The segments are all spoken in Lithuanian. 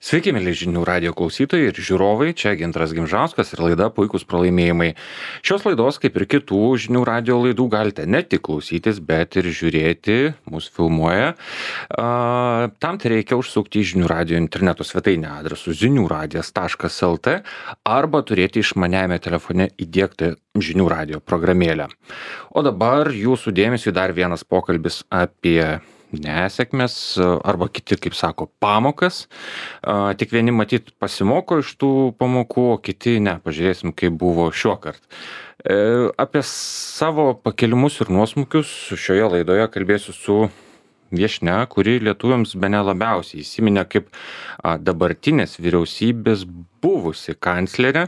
Sveiki, mėly žinių radijo klausytojai ir žiūrovai, čia Gintaras Gimžauskas ir laida Puikūs pralaimėjimai. Šios laidos, kaip ir kitų žinių radijo laidų, galite ne tik klausytis, bet ir žiūrėti, mūsų filmuoja. Tam tai reikia užsukti į žinių radijo interneto svetainę adresu ziniuradijas.lt arba turėti išmaniajame telefone įdiegtą žinių radijo programėlę. O dabar jūsų dėmesiui dar vienas pokalbis apie nesėkmės arba kiti, kaip sako, pamokas. Tik vieni matyt pasimoko iš tų pamokų, o kiti ne. Pažiūrėsim, kaip buvo šiuokart. Apie savo pakilimus ir nuosmukius šioje laidoje kalbėsiu su viešnia, kuri lietuviams bene labiausiai įsiminė kaip dabartinės vyriausybės buvusi kanclerė,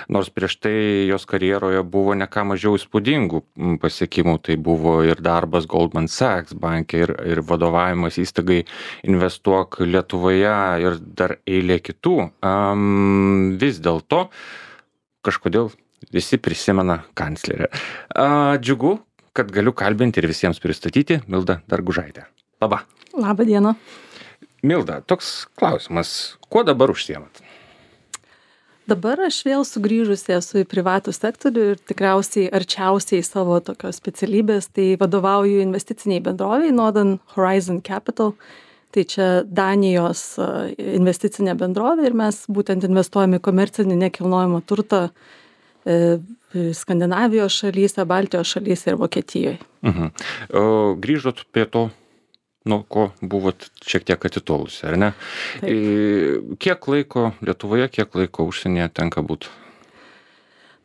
nors prieš tai jos karjeroje buvo ne ką mažiau įspūdingų pasiekimų. Tai buvo ir darbas Goldman Sachs banke ir vadovavimas įstaigai Investuok Lietuvoje ir dar eilė kitų. Vis dėlto kažkodėl visi prisimena kanclerę. Džiugu, kad galiu kalbinti ir visiems pristatyti Mildą Dargužaitę. Labą. Labą dieną. Milda, toks klausimas. Kuo dabar užsiemat? Dabar aš vėl sugrįžusi esu į privatų sektorių ir tikriausiai arčiausiai savo tokios specialybės, tai vadovauju investiciniai bendroviai Northern Horizon Capital. Tai čia Danijos investicinė bendrovė ir mes būtent investuojame į komercinį nekilnojamą turtą Skandinavijos šalyse, Baltijos šalyse ir Vokietijoje. Grįžot prie to, nuo ko buvot šiek tiek atitolusi, ar ne? Taip. Kiek laiko Lietuvoje, kiek laiko užsienyje tenka būt?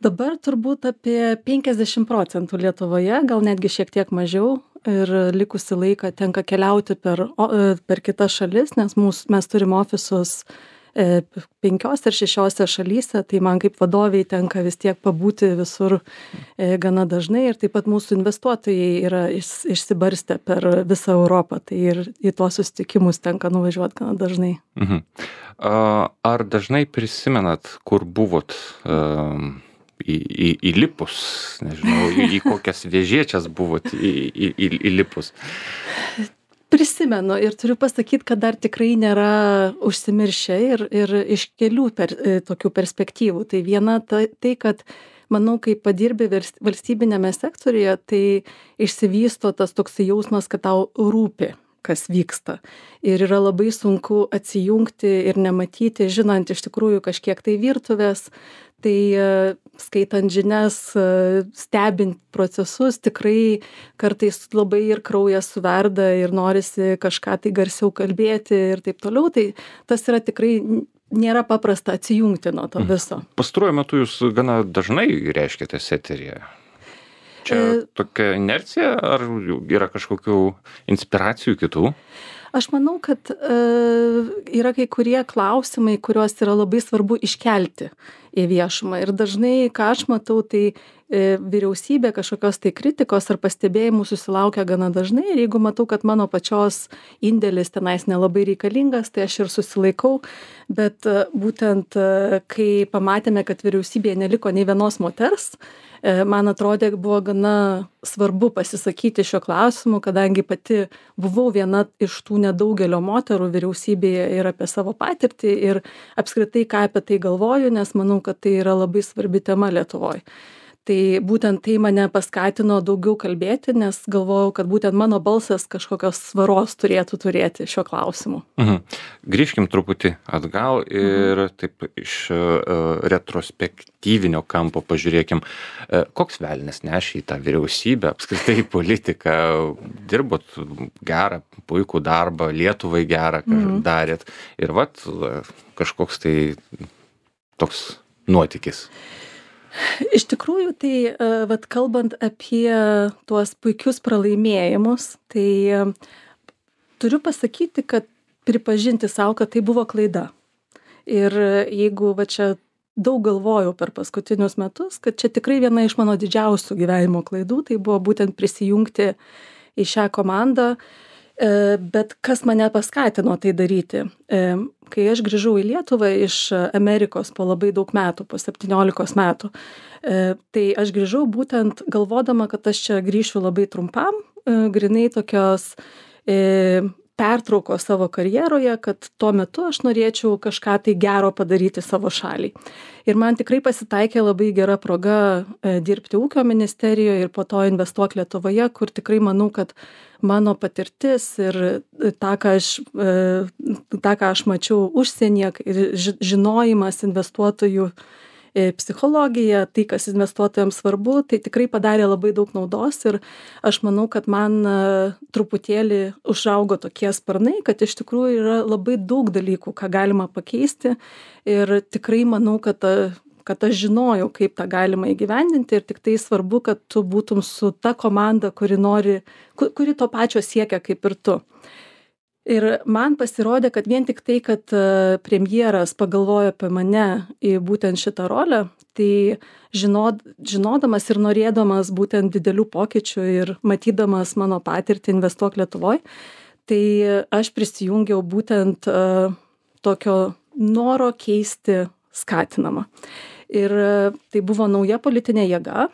Dabar turbūt apie 50% Lietuvoje, gal netgi šiek tiek mažiau. Ir likusi laiką tenka keliauti per kitas šalis, nes mes turim ofisus 5 ar 6 šalyse, tai man kaip vadoviai tenka vis tiek pabūti visur gana dažnai ir taip pat mūsų investuotojai yra išsibarstę per visą Europą, tai ir į tuos susitikimus tenka nuvažiuoti gana dažnai. Ar dažnai prisimenat, kur buvot įlipus, nežinau, į kokias vėžėčias buvot įlipus? Prisimenu ir turiu pasakyti, kad dar tikrai nėra užsimiršę ir iš kelių tokių perspektyvų. Tai viena tai, kad manau, kai padirbi valstybinėme sektoriuje, tai išsivysto tas toks jausmas, kad tau rūpi, kas vyksta. Ir yra labai sunku atsijungti ir nematyti, žinant iš tikrųjų kažkiek tai virtuvės. Tai skaitant žinias, stebint procesus, tikrai kartais labai ir kraujas suverda ir norisi kažką tai garsiau kalbėti ir taip toliau. Tai tas yra tikrai nėra paprasta atsijungti nuo to viso. Pastaruoju metu jūs gana dažnai reiškiatės eteryje. Čia tokia inercija ar yra kažkokių inspiracijų kitų? Aš manau, kad yra kai kurie klausimai, kuriuos yra labai svarbu iškelti į viešumą. Ir dažnai, ką aš matau, tai vyriausybė kažkokios tai kritikos ar pastebėjimų susilaukia gana dažnai. Ir jeigu matau, kad mano pačios indėlis tenais nelabai reikalingas, tai aš ir susilaikau. Bet būtent, kai pamatėme, kad vyriausybėje neliko nei vienos moters, man atrodė, buvo gana svarbu pasisakyti šio klausimu, kadangi pati buvau viena iš tų nedaugelio moterų vyriausybėje ir apie savo patirtį ir apskritai ką apie tai galvoju, nes manau, kad tai yra labai svarbi tema Lietuvoje. Tai būtent tai mane paskatino daugiau kalbėti, nes galvojau, kad būtent mano balsas kažkokios svaros turėtų turėti šiuo klausimu. Grįžkim truputį atgal ir taip iš retrospektyvinio kampo pažiūrėkim, koks velnias nešė į tą vyriausybę, apskritai į politiką, dirbot gerą, puikų darbą, Lietuvai gerą darėt ir kažkoks tai toks nuotykis. Iš tikrųjų, tai kalbant apie tuos puikius pralaimėjimus, tai turiu pasakyti, kad pripažinti savo, kad tai buvo klaida. Ir jeigu čia daug galvojau per paskutinius metus, kad čia tikrai viena iš mano didžiausių gyvenimo klaidų, tai buvo būtent prisijungti į šią komandą. Bet kas mane paskatino tai daryti? Kai aš grįžau į Lietuvą iš Amerikos po labai daug metų, po 17 metų, tai aš grįžau būtent galvodama, kad aš čia grįšiu labai trumpam, grinai tokios pertraukos savo karjeroje, kad tuo metu aš norėčiau kažką tai gero padaryti savo šaliai. Ir man tikrai pasitaikė labai gera proga dirbti ūkio ministerijoje ir po to Investuok Lietuvoje, kur tikrai manau, kad mano patirtis ir tą, ką aš mačiau užsienyje, ir žinojimas investuotojų psichologija, tai, kas investuotojams svarbu, tai tikrai padarė labai daug naudos ir aš manau, kad man truputėlį užaugo tokie sparnai, kad iš tikrųjų yra labai daug dalykų, ką galima pakeisti ir tikrai manau, kad aš žinojau, kaip tą galima įgyvendinti ir tik tai svarbu, kad tu būtum su ta komanda, kuri to pačio siekia kaip ir tu. Ir man pasirodė, kad vien tik tai, kad premjeras pagalvojo apie mane į būtent šitą rolę, tai žinodamas ir norėdamas būtent didelių pokyčių ir matydamas mano patirtį Investuok Lietuvoj, tai aš prisijungiau būtent tokio noro keisti skatinamą. Ir tai buvo nauja politinė jėga.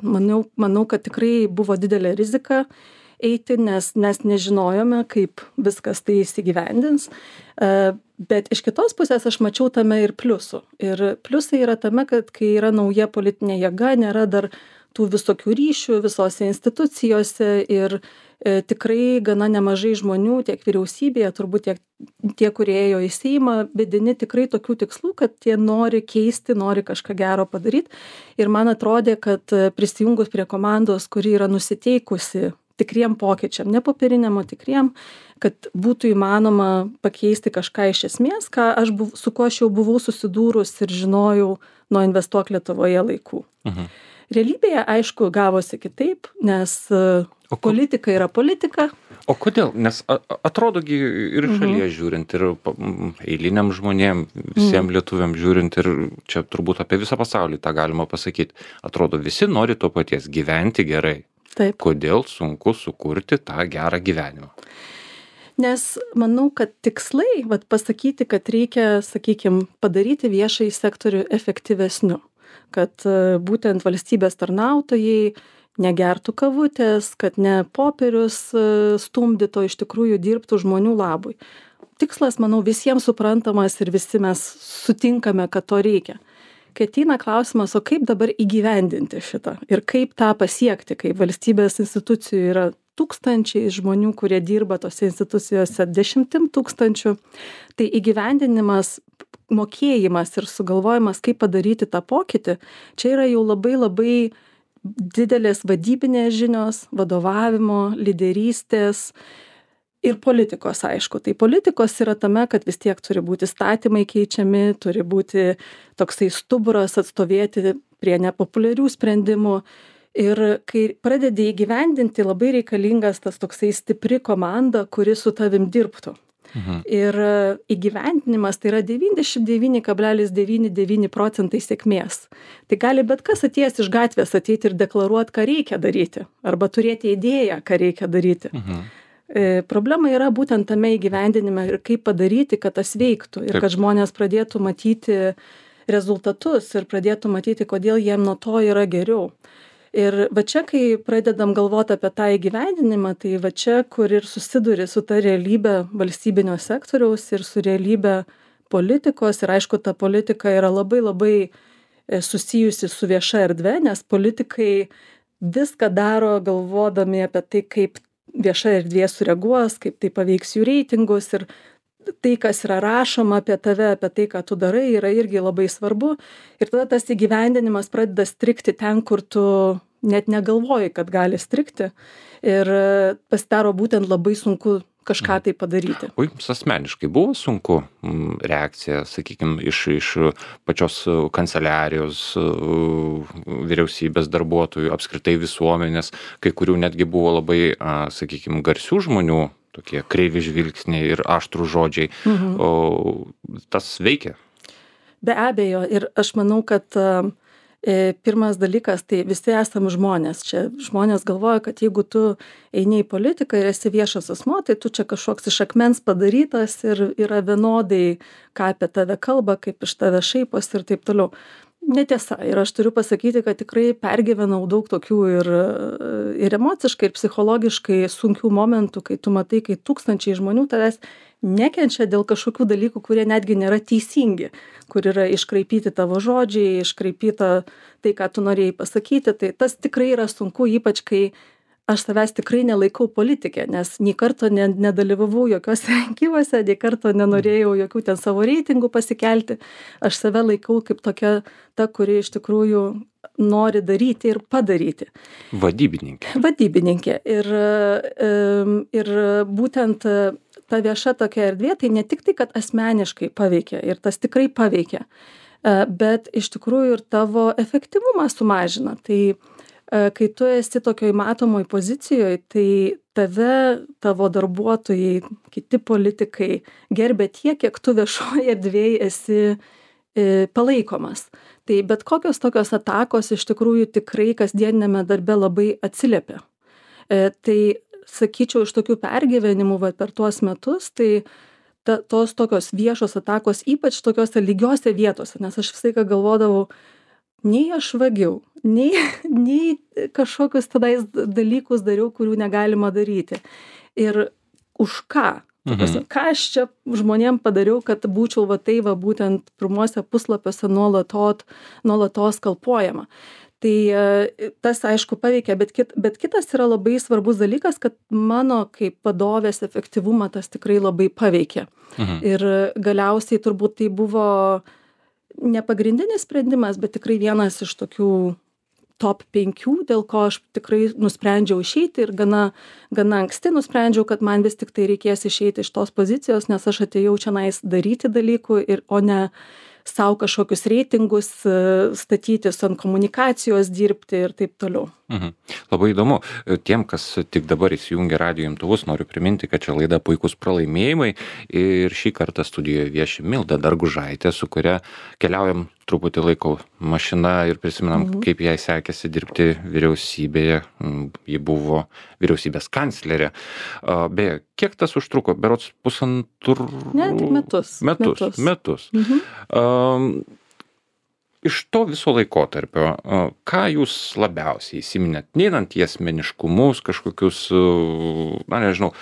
Manau, kad tikrai buvo didelė rizika eiti, nes nežinojome, kaip viskas tai įsigyvendins. Bet iš kitos pusės aš mačiau tame ir pliusų. Ir pliusai yra tame, kad kai yra nauja politinė jėga, nėra dar tų visokių ryšių visose institucijose ir tikrai gana nemažai žmonių tiek vyriausybėje, turbūt tie, kurie ėjo į Seimą, vedini tikrai tokių tikslų, kad jie nori keisti, nori kažką gero padaryti. Ir man atrodė, kad prisijungus prie komandos, kuri yra nusiteikusi tikriem pokyčiam, ne popieriniam, o tikriem, kad būtų įmanoma pakeisti kažką iš esmės, su kuo aš jau buvau susidūrus ir žinojau nuo Investuok Lietuvoje laikų. Realybėje, aišku, gavosi kitaip, nes politika yra politika. O kodėl? Nes atrodogi ir šalies žiūrint, ir eiliniam žmonėm, visiems lietuviam žiūrint, ir čia turbūt apie visą pasaulį tą galima pasakyti. Atrodo, visi nori to paties - gyventi gerai. Taip. Kodėl sunku sukurti tą gerą gyvenimą? Nes manau, kad tikslai, pasakyti, kad reikia, sakykime, padaryti viešąjį sektorių efektyvesniu, kad būtent valstybės tarnautojai negertų kavutės, kad ne popierius stumdyto, iš tikrųjų dirbtų žmonių labui. Tikslas, manau, visiems suprantamas ir visi mes sutinkame, kad to reikia. Kai ateina klausimas, o kaip dabar įgyvendinti šitą ir kaip tą pasiekti, kai valstybės institucijų yra tūkstančiai žmonių, kurie dirba tose institucijose 10 000, tai įgyvendinimas, mokėjimas ir sugalvojimas, kaip padaryti tą pokytį, čia yra jau labai labai didelės vadybinės žinios, vadovavimo, lyderystės ir politikos, aišku. Tai politikos yra tame, kad vis tiek turi būti statymai keičiami, turi būti toksai stuburas atstovėti prie nepopuliarių sprendimų. Ir kai pradedi įgyvendinti, labai reikalingas tas toksai stipri komanda, kuri su tavim dirbtų. Ir įgyvendinimas tai yra 99,99% sėkmės. Tai gali bet kas atėjęs iš gatvės ateiti ir deklaruoti, ką reikia daryti, arba turėti idėją, ką reikia daryti. Problema yra būtent tame įgyvendinime ir kaip padaryti, kad tas veiktų ir kad žmonės pradėtų matyti rezultatus ir pradėtų matyti, kodėl jiem nuo to yra geriau. Ir va čia, kai pradedam galvoti apie tą įgyvendinimą, tai va čia, kur ir susiduri su ta realybė valstybinio sektoriaus ir su realybė politikos. Ir aišku, ta politika yra labai labai susijusi su vieša erdve, nes politikai viską daro galvodami apie tai, kaip vieša erdvė sureaguos, kaip tai paveiks jų reitingus ir tai, kas yra rašoma apie tave, apie tai, ką tu darai, yra irgi labai svarbu. Ir tada tas įgyvendinimas pradeda strigti ten, kur tu net negalvoji, kad gali strigti. Ir pasidaro būtent labai sunku kažką tai padaryti. O jums asmeniškai buvo sunku reakcija, sakykime, iš pačios kanceliarijos, vyriausybės darbuotojų, apskritai visuomenės, kai kurių netgi buvo labai, sakykime, garsių žmonių, tokie kreivi žvilgsniai ir aštrūs žodžiai. O tas veikia? Be abejo. Ir aš manau, kad pirmas dalykas, tai visi esam žmonės. Čia žmonės galvoja, kad jeigu tu eini į politiką ir esi viešas asmuo, tai tu čia kažkoks iš akmens padarytas ir yra vienodai, ką apie tave kalba, kaip iš tave šaipos ir taip toliau. Netiesa. Ir aš turiu pasakyti, kad tikrai pergyvenau daug tokių ir emociškai, ir psichologiškai sunkių momentų, kai tu matai, kai tūkstančiai žmonių tavęs nekenčia dėl kažkokių dalykų, kurie netgi nėra teisingi, kur yra iškraipyti tavo žodžiai, iškraipyta tai, ką tu norėjai pasakyti. Tai tas tikrai yra sunku, ypač kai aš savęs tikrai nelaikau politikė, nes nei karto nedalyvavau jokiuose rinkimuose, nei karto nenorėjau jokių ten savo reitingų pasikelti. Aš save laikau kaip tokia ta, kuri iš tikrųjų nori daryti ir padaryti. Vadybininkė. Vadybininkė. Ir būtent ta vieša tokia erdvė, tai ne tik tai, kad asmeniškai paveikia, ir tas tikrai paveikia, bet iš tikrųjų ir tavo efektyvumą sumažina. Tai kai tu esi tokioj matomoj pozicijoj, tai tave, tavo darbuotojai, kiti politikai gerbia tiek, kiek tu viešoje erdvėje esi palaikomas. Tai bet kokios tokios atakos iš tikrųjų tikrai kasdieniniame darbe labai atsiliepia. Tai sakyčiau, iš tokių pergyvenimų per tuos metus, tai tos tokios viešos atakos, ypač tokiose lygiose vietose, nes aš visą laiką galvodavau, nei aš vagiau, nei kažkokius tada dalykus dariau, kurių negalima daryti. Ir už ką? Ką aš čia žmonėm padariau, kad būčiau būtent pirmuose puslapiuose nuolatos kalpuojama. Tai tas, aišku, paveikia, bet kitas yra labai svarbus dalykas, kad mano kaip vadovės efektyvumą tas tikrai labai paveikia. Ir galiausiai turbūt tai buvo ne pagrindinis sprendimas, bet tikrai vienas iš tokių top 5, dėl ko aš tikrai nusprendžiau išeiti ir gana anksti nusprendžiau, kad man vis tik tai reikės išeiti iš tos pozicijos, nes aš atėjau čionais daryti dalykų, o ne savo kažkokius reitingus statytis, ant komunikacijos dirbti ir taip toliau. Labai įdomu. Tiem, kas tik dabar įsijungia radijo imtuvus, noriu priminti, kad čia laida Puikūs pralaimėjimai ir šį kartą studijoje vieši Milda Dargužaitė, su kuria keliaujam truputį laiko mašina ir prisimenam, kaip jai sekėsi dirbti vyriausybėje. Ji buvo vyriausybės kanclerė. Beje, kiek tas užtruko? Berods pusantrų... Ne, tik metus. Iš to viso laikotarpio, ką jūs labiausiai įsiminėt, neinant į asmeniškumus, kažkokius, na nežinau,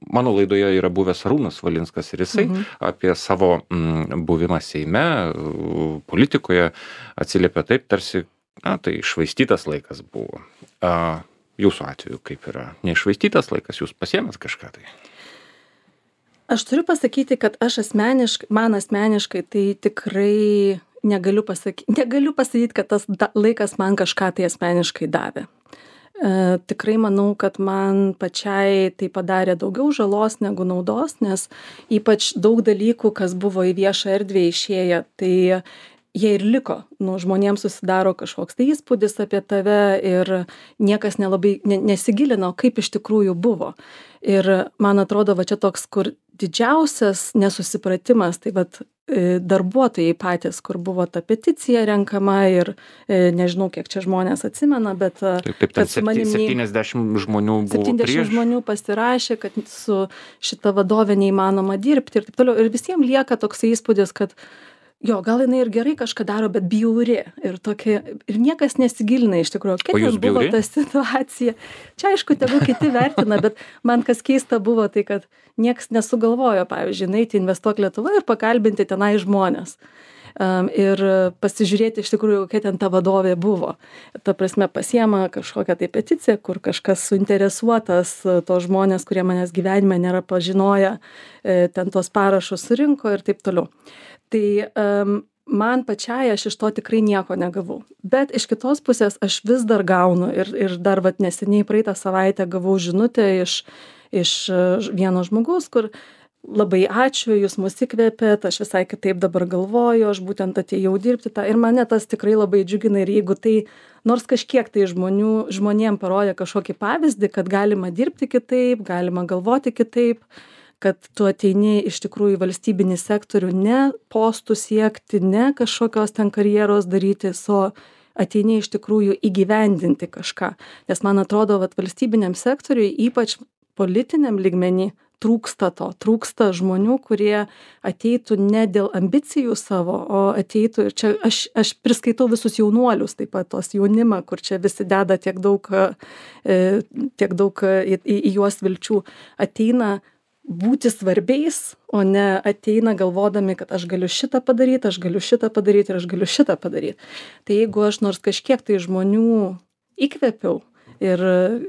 mano laidoje yra buvęs Arūnas Valinskas ir jisai apie savo buvimą Seime, politikoje atsiliepia taip, tarsi, na tai iššvaistytas laikas buvo. Jūsų atveju kaip yra? Neiššvaistytas laikas, jūs pasiėmėt kažką tai? Aš turiu pasakyti, kad man asmeniškai tai tikrai negaliu pasakyti, kad tas laikas man kažką tai asmeniškai davė. Tikrai manau, kad man pačiai tai padarė daugiau žalos negu naudos, nes ypač daug dalykų, kas buvo į viešą erdvę išėję, tai jie ir liko. Žmonėms susidaro kažkoks tai įspūdis apie tave ir niekas nelabai nesigilino, kaip iš tikrųjų buvo. Ir man atrodo, čia toks, kur didžiausias nesusipratimas, tai darbuotojai patys, kur buvo ta peticija renkama ir nežinau, kiek čia žmonės atsimena, bet taip, ten 70 žmonių buvo 70 prieš. Žmonių pasirašė, kad su šita vadovė neįmanoma dirbti ir taip toliau. Ir visiems lieka toks įspūdis, kad gal jinai ir gerai kažką daro, bet bjauri. Ir niekas nesigilina iš tikrųjų, kaip ten buvo ta situacija. Čia aišku, tegu kiti vertina, bet man kas keista buvo tai, kad niekas nesugalvojo, pavyzdžiui, eiti Investuok Lietuva ir pakalbinti tenai žmonės. Ir pasižiūrėti iš tikrųjų, kokia ten ta vadovė buvo. Ta prasme, pasiema kažkokią tai peticiją, kur kažkas suinteresuotas, tos žmonės, kurie manęs gyvenime nėra pažinoję, ten tos parašus surinko ir taip toliau. Tai man pačiai aš iš to tikrai nieko negavau. Bet iš kitos pusės aš vis dar gaunu ir dar neseniai praeitą savaitę gavau žinutę iš vieno žmogaus, kur labai ačiū, jūs mus įkvėpėt, aš visai kitaip dabar galvoju, aš būtent atėjau dirbti tą ir mane tas tikrai labai džiugina ir jeigu tai nors kažkiek tai žmonėm parodė kažkokį pavyzdį, kad galima dirbti kitaip, galima galvoti kitaip, kad tu ateini iš tikrųjų į valstybinį sektorių ne postų siekti, ne kažkokios ten karjeros daryti, ateini iš tikrųjų įgyvendinti kažką. Nes man atrodo, valstybiniam sektoriui, ypač politiniam lygmenį, trūksta žmonių, kurie ateitų ne dėl ambicijų savo, o ateitų, ir čia aš priskaitau visus jaunuolius, taip pat tos jaunimą, kur čia visi deda tiek daug į juos vilčių, ateina būti svarbiais, o ne ateina galvodami, kad aš galiu šitą padaryti, ir aš galiu šitą padaryti. Tai jeigu aš nors kažkiek tai žmonių įkvėpiau, ir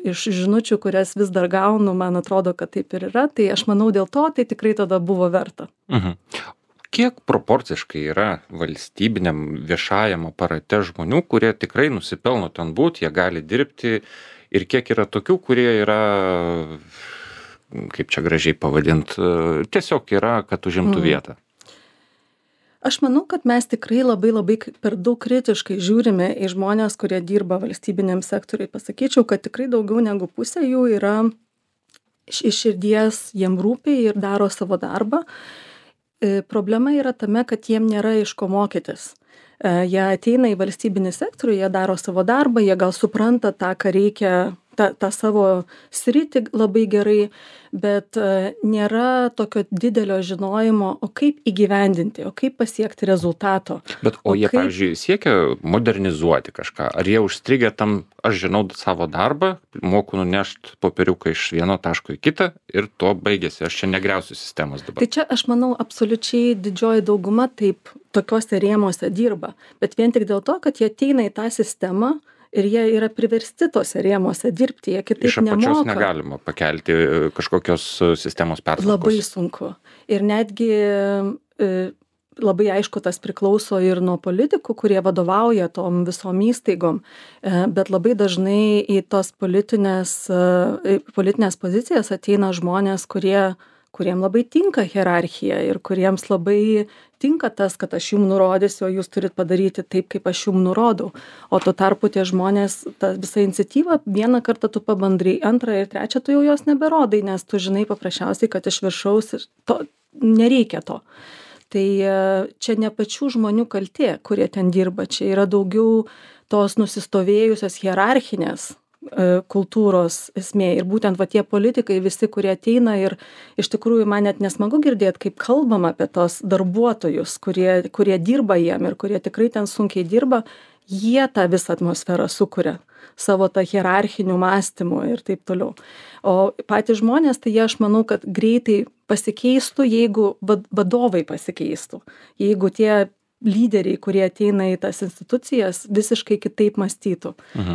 iš žinučių, kurias vis dar gaunu, man atrodo, kad taip ir yra, tai aš manau dėl to, tai tikrai tada buvo verta. Kiek proporciškai yra valstybiniam viešajam aparate žmonių, kurie tikrai nusipelno ten būti, jie gali dirbti, ir kiek yra tokių, kurie yra, kaip čia gražiai pavadint, tiesiog yra, kad užimtų vietą? Aš manau, kad mes tikrai labai per daug kritiškai žiūrime į žmonės, kurie dirba valstybiniam sektoriui. Pasakyčiau, kad tikrai daugiau negu pusė jų yra iš širdies, jiem rūpi ir daro savo darbą. Problema yra tame, kad jiem nėra iš ko mokytis. Jie ateina į valstybinį sektorių, jie daro savo darbą, jie gal supranta tą, ką reikia, tą savo sritį labai gerai, bet nėra tokio didelio žinojimo, o kaip įgyvendinti, o kaip pasiekti rezultato. Bet jie, pavyzdžiui, siekia modernizuoti kažką? Ar jie užstrigę tam, aš žinau savo darbą, moku nunešti popieriuką iš vieno taško į kitą ir to baigėsi, aš čia negriausiu sistemos dabar? Tai čia, aš manau, absoliučiai didžioji dauguma taip tokiuose rėmuose dirba, bet vien tik dėl to, kad jie ateina į tą sistemą, ir jie yra priversti tose rėmuose dirbti, jie kitaip nemoka. Iš apačios negalima pakelti kažkokios sistemos pertvarkos. Labai sunku. Ir netgi labai aišku, tas priklauso ir nuo politikų, kurie vadovauja tom visom įstaigom, bet labai dažnai į tos politinės pozicijas ateina žmonės, kuriem labai tinka hierarchija ir kuriems labai tinka tas, kad aš jums nurodysiu, o jūs turit padaryti taip, kaip aš jums nurodau. O tuo tarpu tie žmonės, ta visa iniciatyva, vieną kartą tu pabandrai, antrą ir trečią tu jau jos neberodai, nes tu žinai paprasčiausiai, kad iš viršaus ir to nereikia to. Tai čia ne pačių žmonių kaltė, kurie ten dirba, čia yra daugiau tos nusistovėjusios hierarchinės kultūros esmė. Ir būtent va tie politikai visi, kurie ateina, ir iš tikrųjų man net nesmagu girdėti, kaip kalbam apie tos darbuotojus, kurie dirba jiem ir kurie tikrai ten sunkiai dirba, jie tą visą atmosferą sukuria savo tą hierarchinių mąstymų ir taip toliau. O patys žmonės, tai jie, aš manau, kad greitai pasikeistų, jeigu vadovai pasikeistų, jeigu tie lyderiai, kurie ateina į tas institucijas, visiškai kitaip mąstytų.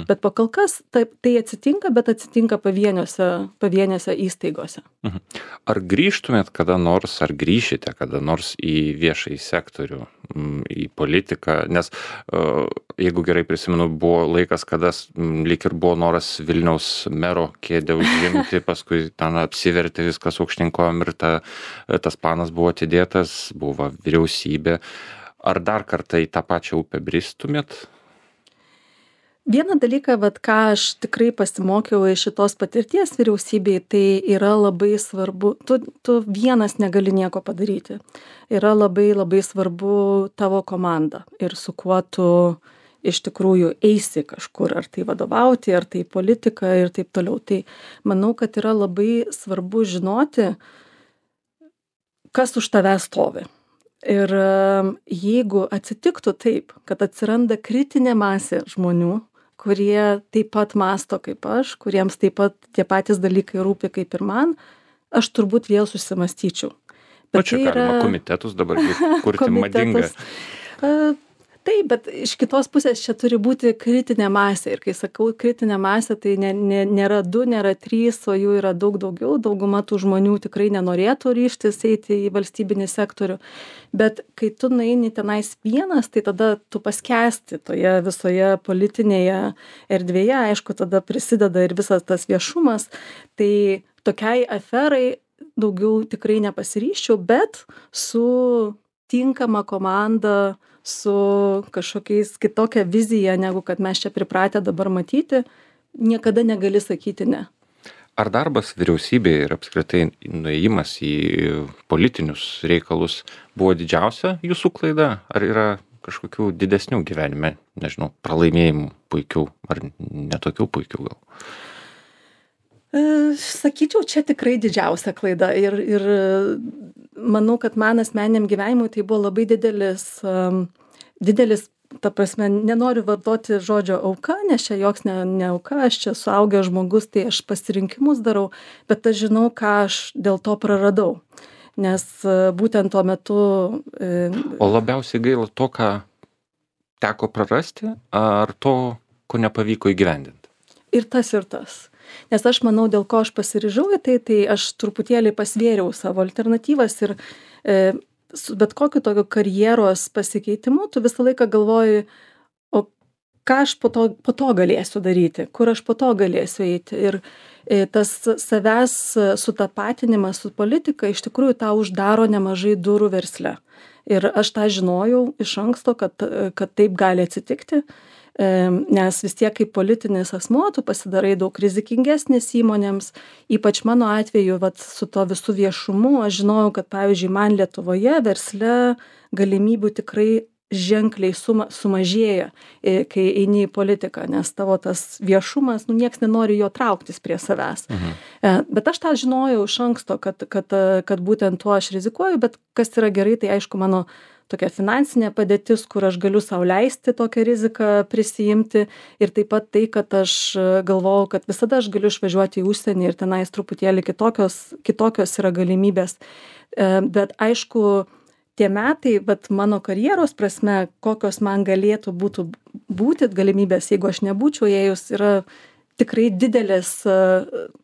Bet pakol kas tai atsitinka, bet atsitinka pavieniose įstaigose. Ar grįžtumėt kada nors, ar grįšite kada nors į viešąjį sektorių, į politiką? Nes jeigu gerai prisimenu, buvo laikas, kada lyg ir buvo noras Vilniaus mero kėdę užimti, paskui ten apsivertė viskas aukštyn kojom ir tas planas buvo atidėtas, buvo vyriausybė. Ar dar kartą į tą pačią upę bristumėt? Vieną dalyką, ką aš tikrai pasimokiau iš šitos patirties vyriausybėje, tai yra labai svarbu, tu vienas negali nieko padaryti. Yra labai svarbu tavo komanda ir su kuo tu iš tikrųjų eisi kažkur, ar tai vadovauti, ar tai politika ir taip toliau. Tai manau, kad yra labai svarbu žinoti, kas už tavęs stovi. Ir jeigu atsitiktų taip, kad atsiranda kritinė masė žmonių, kurie taip pat mąsto kaip aš, kuriems taip pat tie patys dalykai rūpi kaip ir man, aš turbūt vėl susimąstyčiau. Bet čia galima komitetus dabar kurti madinga. Taip, bet iš kitos pusės čia turi būti kritinė masė. Ir kai sakau kritinė masė, tai nėra 2, nėra 3, o jų yra daug daugiau. Dauguma tų žmonių tikrai nenorėtų ryžtis eiti į valstybinį sektorių. Bet kai tu nueini tenais vienas, tai tada tu paskęsti toje visoje politinėje erdvėje. Aišku, tada prisideda ir visas tas viešumas. Tai tokiai aferai daugiau tikrai nepasiryščiau, bet su tinkama komanda, su kažkokiais kitokia vizija, negu kad mes čia pripratę dabar matyti, niekada negali sakyti ne. Ar darbas vyriausybėje ir apskritai nuėjimas į politinius reikalus buvo didžiausia jūsų klaida? Ar yra kažkokių didesnių gyvenime, nežinau, pralaimėjimų puikių ar netokių puikių gal? Sakyčiau, čia tikrai didžiausia klaida ir manau, kad man asmeniniam gyvenimui tai buvo labai didelis, ta prasme, nenoriu vartoti žodžio auka, nes čia joks ne auka, aš čia suaugęs žmogus, tai aš pasirinkimus darau, bet aš žinau, ką aš dėl to praradau. Nes būtent tuo metu... O labiausiai gaila to, ką teko prarasti, ar to, ko nepavyko įgyvendinti? Ir tas. Nes aš manau, dėl ko aš pasiryžau į tai aš truputėlį pasvėriau savo alternatyvas ir su bet kokiu tokiu karjeros pasikeitimu, tu visą laiką galvoji, o ką aš po to galėsiu daryti, kur aš po to galėsiu eiti. Ir tas savęs sutapatinimas su politika iš tikrųjų tau uždaro nemažai durų versle. Ir aš tą žinojau iš anksto, kad taip gali atsitikti. Nes vis tiek kaip politinis asmuo, tu pasidarai daug rizikingesnis įmonėms, ypač mano atveju, su to visų viešumu, aš žinojau, kad pavyzdžiui, man Lietuvoje versle galimybių tikrai ženkliai sumažėja, kai eini į politiką, nes tavo tas viešumas, nieks nenori jo trauktis prie savęs. Bet aš tą žinojau iš anksto, kad būtent tuo aš rizikuoju, bet kas yra gerai, tai aišku, mano tokia finansinė padėtis, kur aš galiu sau leisti tokią riziką prisijimti ir taip pat tai, kad aš galvojau, kad visada aš galiu išvažiuoti į užsienį ir tenais truputėlį kitokios yra galimybės. Bet aišku, tie metai, bet mano karjeros prasme, kokios man galėtų būti galimybės, jeigu aš nebūčiau ėjus, yra tikrai didelis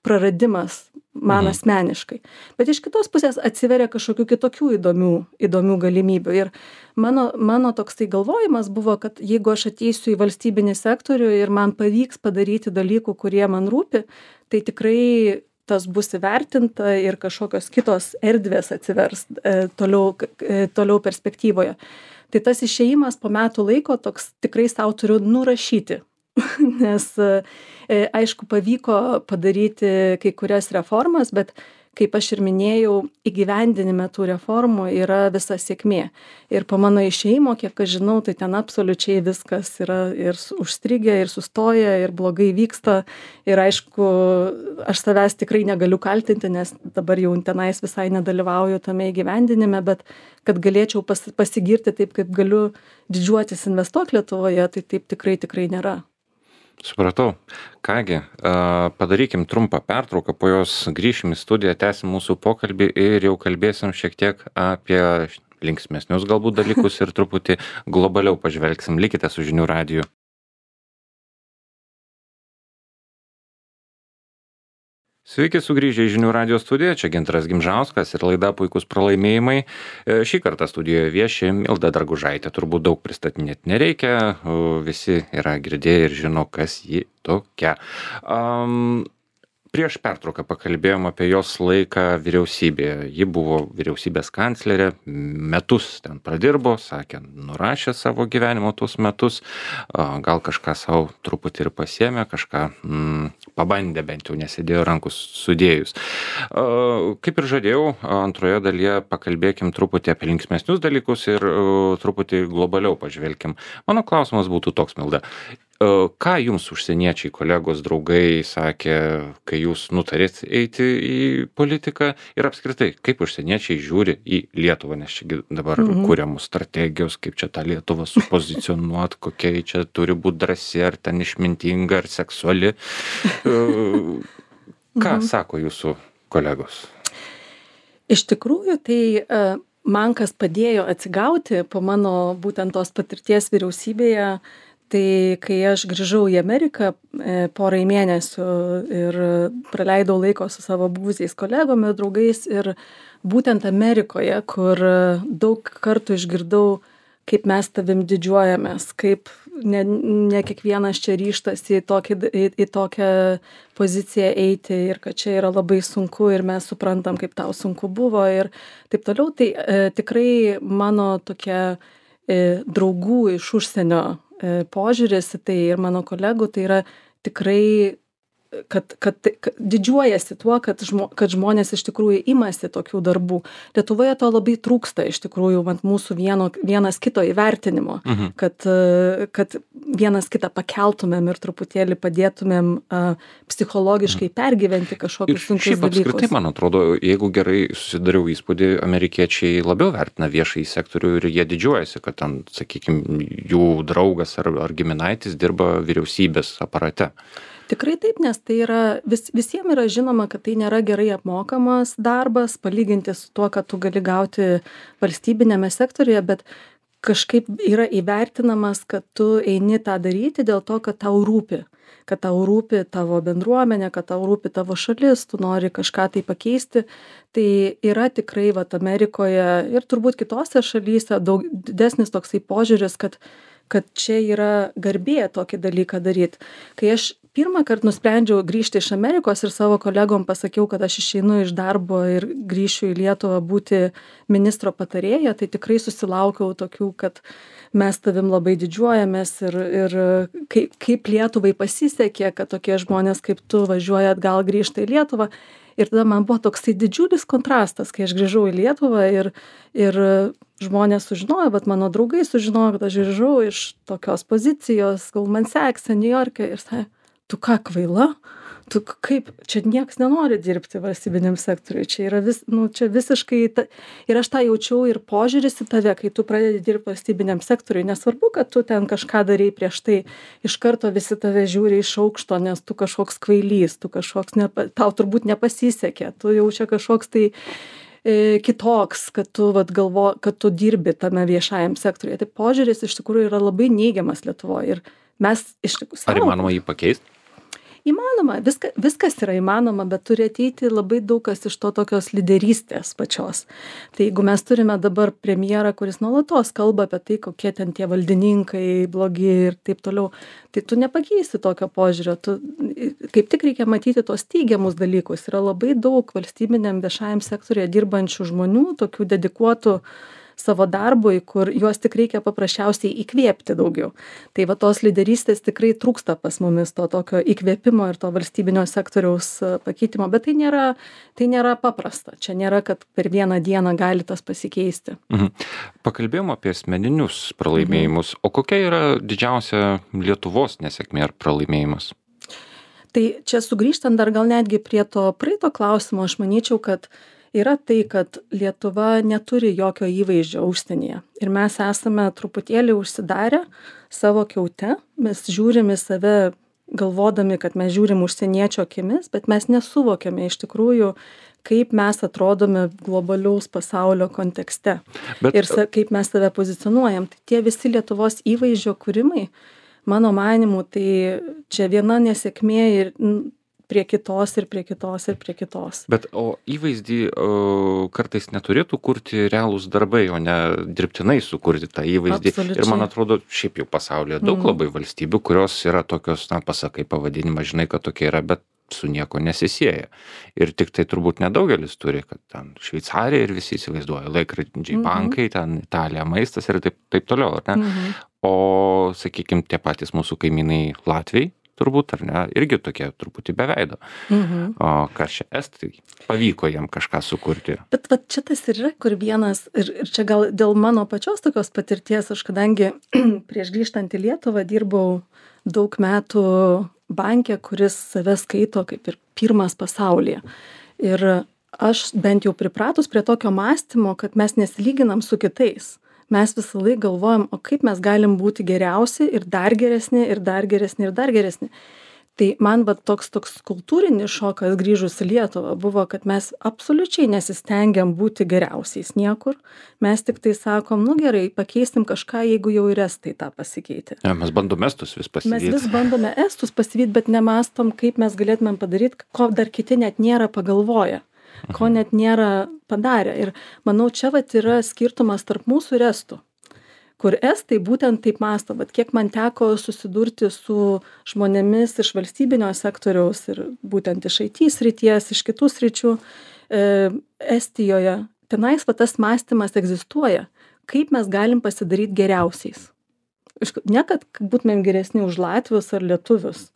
praradimas man asmeniškai. Bet iš kitos pusės atsiveria kažkokių kitokių įdomių galimybių. Ir mano toksai galvojimas buvo, kad jeigu aš ateisiu į valstybinį sektorių ir man pavyks padaryti dalykų, kurie man rūpi, tai tikrai tas bus įvertinta ir kažkokios kitos erdvės atsivers toliau perspektyvoje. Tai tas išėjimas po metų laiko toks tikrai sau turiu nurašyti. Nes, aišku, pavyko padaryti kai kurias reformas, bet kaip aš ir minėjau, įgyvendinime tų reformų yra visa sėkmė. Ir po mano išėjimo, kiek aš žinau, tai ten absoliučiai viskas yra ir užstrigę, ir sustoja, ir blogai vyksta. Ir aišku, aš savęs tikrai negaliu kaltinti, nes dabar jau tenais visai nedalyvauju tame įgyvendinime, bet kad galėčiau pasigirti taip, kaip galiu didžiuotis Investuok Lietuvoje, tai taip tikrai nėra. Supratau. Kągi, padarykim trumpą pertrauką, po jos grįšim į studiją, tęsim mūsų pokalbį ir jau kalbėsim šiek tiek apie linksmesnius galbūt dalykus ir truputį globaliau pažvelgsim. Likite su Žinių radiju. Sveiki sugrįžę į Žinių radijo studiją, čia Gintaras Gimžauskas ir laida Puikūs pralaimėjimai. Šį kartą studijoje vieši Milda Dargužaitė, turbūt daug pristatinėti nereikia, visi yra girdėję ir žino, kas ji tokia. Prieš pertrauką pakalbėjom apie jos laiką vyriausybėje. Ji buvo vyriausybės kanclerė, metus ten pradirbo, sakė, nurašė savo gyvenimo tuos metus, gal kažką savo truputį ir pasiėmė, kažką pabandė, bent jau nesėdėjo rankus sudėjus. Kaip ir žadėjau, antroje dalyje pakalbėkim truputį apie linksmesnius dalykus ir truputį globaliau pažvelkim. Mano klausimas būtų toks, Milda. Ką jums užsieniečiai, kolegos, draugai sakė, kai jūs nutarėt eiti į politiką ir apskritai, kaip užsieniečiai žiūri į Lietuvą, nes čia dabar kuriamos strategijos, kaip čia tą Lietuvą supozicionuot, kokia čia turi būti drąsi, ar ten išmintinga, ar seksuali. Ką sako jūsų kolegos? Iš tikrųjų, tai man kas padėjo atsigauti po mano būtent tos patirties vyriausybėje, tai kai aš grįžau į Ameriką porai mėnesių ir praleidau laiko su savo buvusiais kolegomis, draugais ir būtent Amerikoje, kur daug kartų išgirdau, kaip mes tavim didžiuojamės, kaip ne kiekvienas čia ryžtasi į tokią poziciją eiti ir kad čia yra labai sunku ir mes suprantam, kaip tau sunku buvo ir taip toliau. Tai tikrai mano tokia draugų iš užsienio požiūris į tai ir mano kolegų, tai yra tikrai, kad didžiuojasi tuo, kad žmonės iš tikrųjų imasi tokių darbų. Lietuvoje to labai trūksta iš tikrųjų mūsų vienas kito įvertinimo, kad vienas kitą pakeltumėm ir truputėlį padėtumėm psichologiškai pergyventi kažkokius sunkius dalykus. Ir šiaip apskritai, dalykus. man atrodo, jeigu gerai susidariau įspūdį, amerikiečiai labiau vertina viešąjį sektorių ir jie didžiuojasi, kad ten, sakykime, jų draugas ar giminaitis dirba vyriausybės aparate. Tikrai taip, nes tai yra, visiems yra žinoma, kad tai nėra gerai apmokamas darbas, palyginti su tuo, kad tu gali gauti valstybinėme sektoriuje, bet kažkaip yra įvertinamas, kad tu eini tą daryti dėl to, kad tau rūpi tavo bendruomenė, kad tau rūpi tavo šalis, tu nori kažką tai pakeisti. Tai yra tikrai Amerikoje ir turbūt kitose šalyse daug didesnis toksai požiūris, kad čia yra garbė tokį dalyką daryti. Kai aš pirmą kartą nusprendžiau grįžti iš Amerikos ir savo kolegom pasakiau, kad aš išeinu iš darbo ir grįšiu į Lietuvą būti ministro patarėja, tai tikrai susilaukiau tokių, kad mes tavim labai didžiuojamės ir kaip Lietuvai pasisekė, kad tokie žmonės kaip tu važiuoja atgal grįžta į Lietuvą. Ir tada man buvo toksai didžiulis kontrastas, kai aš grįžau į Lietuvą ir žmonės sužinojo, bet mano draugai sužinojo, kad aš grįžau iš tokios pozicijos Goldman Sachs'e, New York'e ir sakė, tu ką kvaila? Tu kaip, čia nieks nenori dirbti valstybiniam sektoriui, čia yra čia visiškai, ir aš tą jaučiau ir požiūris į tave, kai tu pradedi dirbti valstybiniam sektoriui, nesvarbu, kad tu ten kažką darai prieš tai, iš karto visi tave žiūri iš aukšto, nes tu kažkoks kvailys, tu kažkoks, tau turbūt nepasisekė, tu jau čia kažkoks tai kitoks, kad tu kad tu dirbi tame viešajam sektoriuje. Tai požiūris iš tikrųjų yra labai neigiamas Lietuvoje ir mes iš tikrųjų... Ar įmanoma jį pakeisti? Įmanoma, viskas yra įmanoma, bet turi ateiti labai daug kas iš to tokios lyderystės pačios. Tai jeigu mes turime dabar premjerą, kuris nuolatos kalba apie tai, kokie ten tie valdininkai blogi ir taip toliau, tai tu nepakeisi tokio požiūrio. Kaip tik reikia matyti tos teigiamus dalykus. Yra labai daug valstybiniam viešajam sektoriuje dirbančių žmonių, tokių dedikuotų savo darbui, kur juos tik reikia paprasčiausiai įkvėpti daugiau. Tai tos lyderystės tikrai trūksta pas mumis, to tokio įkvėpimo ir to valstybinio sektoriaus pakeitimo, bet tai nėra paprasta. Čia nėra, kad per vieną dieną gali tas pasikeisti. Pakalbėjom apie asmeninius pralaimėjimus, o kokia yra didžiausia Lietuvos nesėkmė ar pralaimėjimas? Tai čia sugrįžtant dar gal netgi prie to praeito klausimo, aš manyčiau, kad yra tai, kad Lietuva neturi jokio įvaizdžio užsienyje. Ir mes esame truputėlį užsidarę savo kiaute. Mes žiūrime save galvodami, kad mes žiūrim užsieniečio akimis, bet mes nesuvokiame iš tikrųjų, kaip mes atrodome globaliaus pasaulio kontekste. Ir kaip mes save pozicionuojam. Tai tie visi Lietuvos įvaizdžio kūrimai, mano manimu, tai čia viena nesėkmė ir prie kitos ir prie kitos ir prie kitos. Bet o įvaizdį kartais neturėtų kurti realūs darbai, o ne dirbtinai sukurti tą įvaizdį. Absoliučiai. Ir man atrodo, šiaip jau pasaulyje daug labai valstybių, kurios yra tokios, pasakai pavadinimą, žinai, kad tokia yra, bet su nieko nesisieja. Ir tik tai turbūt nedaugelis turi, kad ten Šveicarija ir visi įsivaizduoja, laikrodžiai, bankai, ten Italija, maistas ir taip toliau, ar ne? O, sakykime, tie patys mūsų kaimynai Latviai, turbūt, ar ne, irgi tokie truputį be veido. O kas čia estai, pavyko jam kažką sukurti. Bet čia tas ir yra, kur vienas, ir čia gal dėl mano pačios tokios patirties, aš kadangi prieš grįžtant į Lietuvą dirbau daug metų banke, kuris save skaito kaip ir pirmas pasaulyje. Ir aš bent jau pripratus prie tokio mąstymo, kad mes nesilyginam su kitais. Mes visą laiką galvojam, o kaip mes galim būti geriausi ir dar geresni, ir dar geresni, ir dar geresni. Tai man toks kultūrinis šokas grįžus į Lietuvą buvo, kad mes absoliučiai nesistengiam būti geriausiais niekur. Mes tik tai sakom, gerai, pakeisim kažką, jeigu jau ir estai tą pasikeitė. Ja, mes bandome estus vis pasivyti. Mes vis bandome estus pasivyti, bet nemastom, kaip mes galėtumėm padaryti, ko dar kiti net nėra pagalvoję. Ko net nėra padarę. Ir manau, čia yra skirtumas tarp mūsų ir estų, kur estai būtent taip mąsto. Kiek man teko susidurti su žmonėmis iš valstybinio sektoriaus ir būtent iš IT srities, iš kitų sričių Estijoje, tenais tas mąstymas egzistuoja. Kaip mes galim pasidaryti geriausiais. Ne, kad būtumėm geresni už latvius ar lietuvius,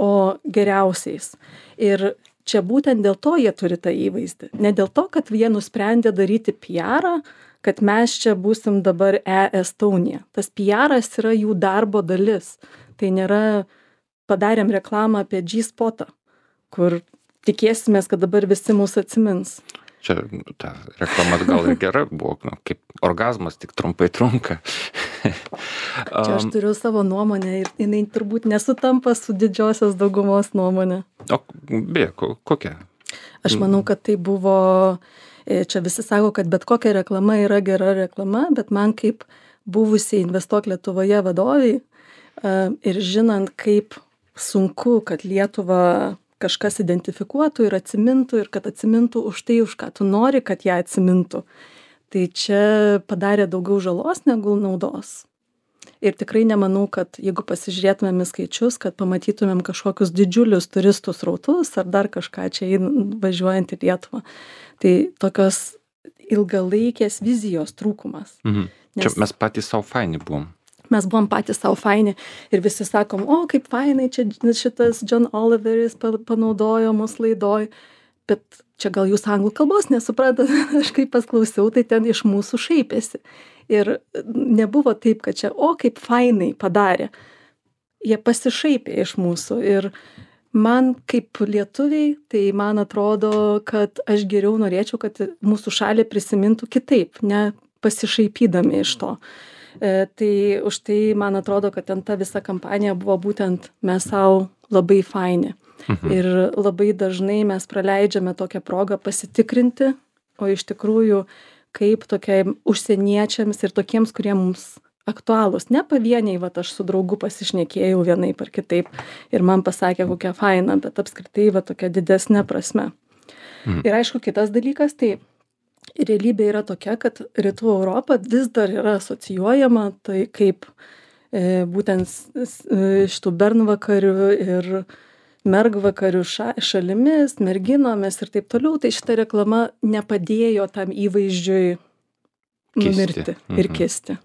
o geriausiais. Ir čia būtent dėl to jie turi tą įvaizdį. Ne dėl to, kad jie nusprendė daryti PR-ą, kad mes čia būsim dabar Estonia. Tas PR-as yra jų darbo dalis. Tai nėra padarėm reklamą apie G-spotą, kur tikėsimės, kad dabar visi mūsų atsimins. Čia ta reklama gal ir gera buvo, kaip orgazmas, tik trumpai trunka. Čia aš turiu savo nuomonę ir jinai turbūt nesutampa su didžiosios daugumos nuomonė. O beje, kokia? Aš manau, kad tai buvo, čia visi sako, kad bet kokia reklama yra gera reklama, bet man kaip buvusiai Investuok Lietuvoje vadoviai ir žinant, kaip sunku, kad Lietuva kažkas identifikuotų ir atsimintų ir kad atsimintų už tai, už ką tu nori, kad ją atsimintų. Tai čia padarė daugiau žalos negu naudos. Ir tikrai nemanau, kad jeigu pasižiūrėtumėm į skaičius, kad pamatytumėm kažkokius didžiulius turistų srautus ar dar kažką čia važiuojant į Lietuvą. Tai tokios ilgalaikės vizijos trūkumas. Čia mes patys savo faini buvom. Mes buvom patys savo faini ir visi sakom, o kaip fainai, čia šitas John Oliveris panaudojo mūsų laidoj, bet čia gal jūs anglų kalbos nesuprantat, aš kaip pasklausiau, tai ten iš mūsų šaipėsi. Ir nebuvo taip, kad čia, o kaip fainai padarė. Jie pasišaipė iš mūsų ir man kaip lietuviai, tai man atrodo, kad aš geriau norėčiau, kad mūsų šalį prisimintų kitaip, ne pasišaipydami iš to. Tai už tai man atrodo, kad ten ta visa kampanija buvo būtent mes savo labai faini. Ir labai dažnai mes praleidžiame tokią progą pasitikrinti, o iš tikrųjų kaip tokiai užsieniečiams ir tokiems, kurie mums aktualūs. Ne pavieniai, va aš su draugu pasišnekėjau vienaip ar kitaip ir man pasakė kokia faina, bet apskritai va tokia didesnė prasme. Ir aišku, kitas dalykas, tai realybė yra tokia, kad Rytų Europa vis dar yra asocijuojama tai kaip būtent šitų bernvakarių ir mergvakarių šalimis, merginomis ir taip toliau, tai šita reklama nepadėjo tam įvaizdžiui numirti ir kisti.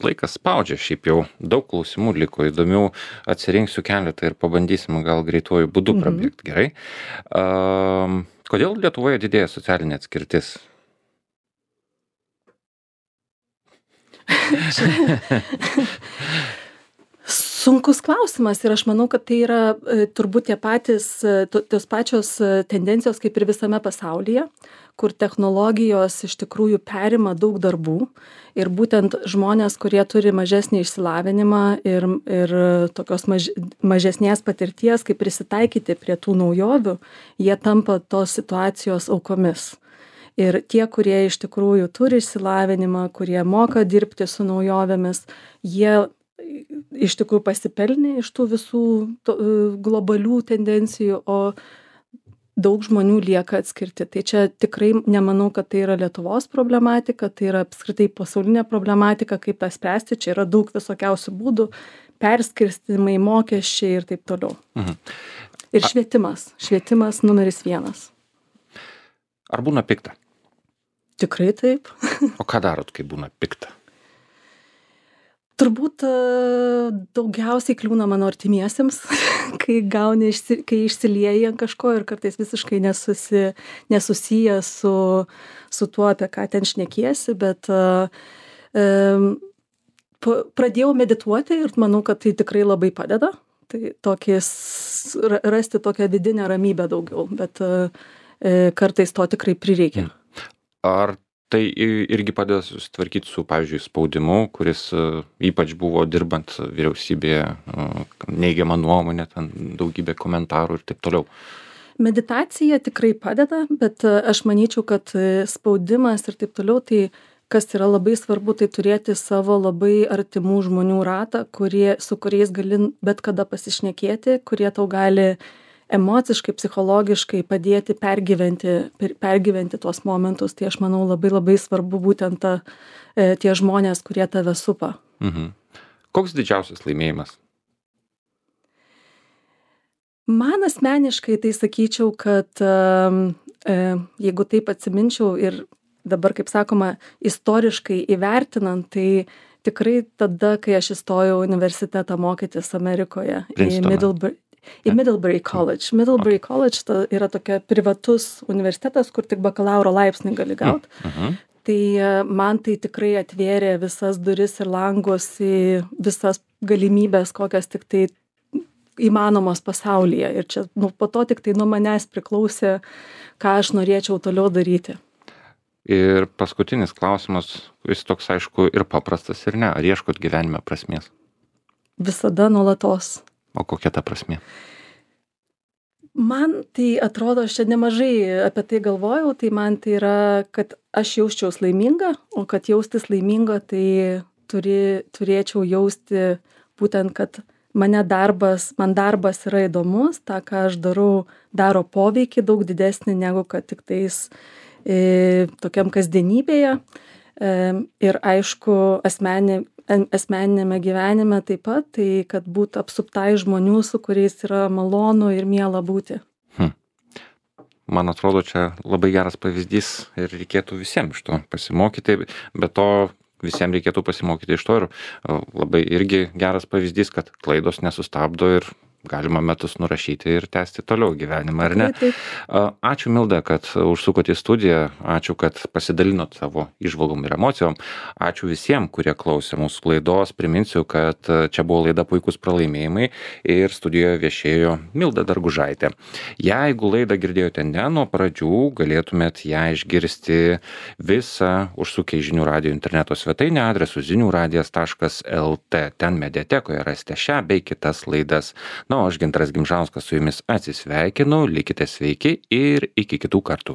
Laikas spaudžia, šiaip jau daug klausimų liko įdomių, atsirinksiu keletą ir pabandysim gal greituoju būdu prabėgti, gerai. Kodėl Lietuvoje didėja socialinė atskirtis? Sunkus klausimas ir aš manau, kad tai yra turbūt tos pačios tendencijos kaip ir visame pasaulyje, kur technologijos iš tikrųjų perima daug darbų ir būtent žmonės, kurie turi mažesnį išsilavinimą ir tokios mažesnės patirties, kaip prisitaikyti prie tų naujovių, jie tampa tos situacijos aukomis. Ir tie, kurie iš tikrųjų turi išsilavinimą, kurie moka dirbti su naujovėmis, jie iš tikrųjų pasipelnė iš tų visų globalių tendencijų, o daug žmonių lieka atskirti. Tai čia tikrai nemanau, kad tai yra Lietuvos problematika, tai yra apskritai pasaulinė problematika, kaip tą spręsti. Čia yra daug visokiausių būdų, perskirstimai, mokesčiai ir taip toliau. Ir švietimas numeris 1. Ar būna pikta? Tikrai taip. O ką darot, kai būna pikta? Turbūt daugiausiai kliūna mano artimiesiems, kai išsilieji ant kažko ir kartais visiškai nesusiję su tuo, apie ką ten šnekiesi, bet pradėjau medituoti ir manau, kad tai tikrai labai padeda. Tai rasti tokią vidinę ramybę daugiau, bet kartais to tikrai prireikia. Ar tai irgi padeda susitvarkyti su, pavyzdžiui, spaudimu, kuris ypač buvo dirbant vyriausybėje, neigiama nuomonė, ten daugybė komentarų ir taip toliau? Meditacija tikrai padeda, bet aš manyčiau, kad spaudimas ir taip toliau, tai kas yra labai svarbu, tai turėti savo labai artimų žmonių ratą, su kuriais gali bet kada pasišnekėti, kurie tau gali emociškai, psichologiškai padėti pergyventi tuos momentus. Tai aš manau labai labai svarbu būtent tie žmonės, kurie tave supa. Koks didžiausias laimėjimas? Man asmeniškai tai sakyčiau, kad jeigu taip atsiminčiau ir dabar, kaip sakoma, istoriškai įvertinant, tai tikrai tada, kai aš įstojau universitetą mokytis Amerikoje, į Middlebury College. Middlebury College yra tokia privatus universitetas, kur tik bakalauro laipsnį gali gauti. Tai man tai tikrai atvėrė visas duris ir langus į visas galimybės, kokias tik tai įmanomos pasaulyje. Ir čia po to tik tai nuo manęs priklausė, ką aš norėčiau toliau daryti. Ir paskutinis klausimas, jis toks aišku ir paprastas ir ne. Ar ieškot gyvenime prasmės? Visada nuolatos. O kokia ta prasmė? Man tai atrodo, aš čia nemažai apie tai galvojau, tai man tai yra, kad aš jausčiaus laiminga, o kad jaustis laiminga, tai turėčiau jausti būtent, kad man darbas yra įdomus, tą, ką aš darau, daro poveikį daug didesnį negu kad tik tais tokiam kasdienybėje. Ir aišku, asmeninėme gyvenime taip pat, tai kad būtų apsuptai žmonių, su kuriais yra malonu ir miela būti. Man atrodo, čia labai geras pavyzdys ir reikėtų visiems iš to pasimokyti, bet to visiems reikėtų pasimokyti iš to ir labai irgi geras pavyzdys, kad klaidos nesustabdo ir galima metus nurašyti ir tęsti toliau gyvenimą, ar ne? Taip. Ačiū, Milda, kad užsukote į studiją, ačiū, kad pasidalinot savo įžvalgom ir emocijom, ačiū visiems, kurie klausė mūsų laidos, priminsiu, kad čia buvo laida Puikūs pralaimėjimai ir studijoje viešėjo Milda Dargužaitė. Jeigu laidą girdėjote ne nuo pradžių, galėtumėt ją išgirsti visą užsukę į Žinių radijo interneto svetainę adresu ziniuradijas.lt. Ten mediatekoje rasite šią bei kitas laidas. Na, o aš Gintaras Gimžauskas su jumis atsisveikinu, likite sveiki ir iki kitų kartų.